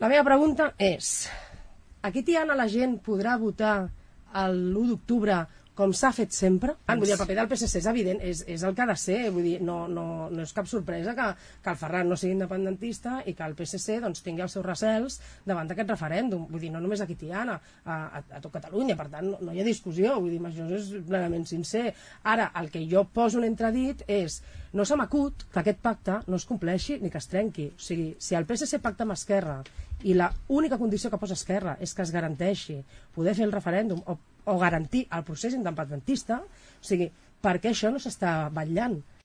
La meva pregunta és, aquí Tiana la gent podrà votar l'1 d'octubre com s'ha fet sempre? Vull dir, el paper del PSC és evident, és el que ha de ser, vull dir, no és cap sorpresa que el Ferran no sigui independentista i que el PSC doncs, tingui els seus recels davant d'aquest referèndum. Vull dir, no només aquí Tiana, a tot Catalunya, per tant, no hi ha discussió, vull dir, això és plenament sincer. Ara, el que jo poso en entredit és, no se m'acut que aquest pacte no es compleixi ni que es trenqui. O sigui, si el PSC pacta amb Esquerra i l'única condició que posa Esquerra és que es garanteixi poder fer el referèndum o garantir el procés independentista, o sigui, per què això no s'està vetllant?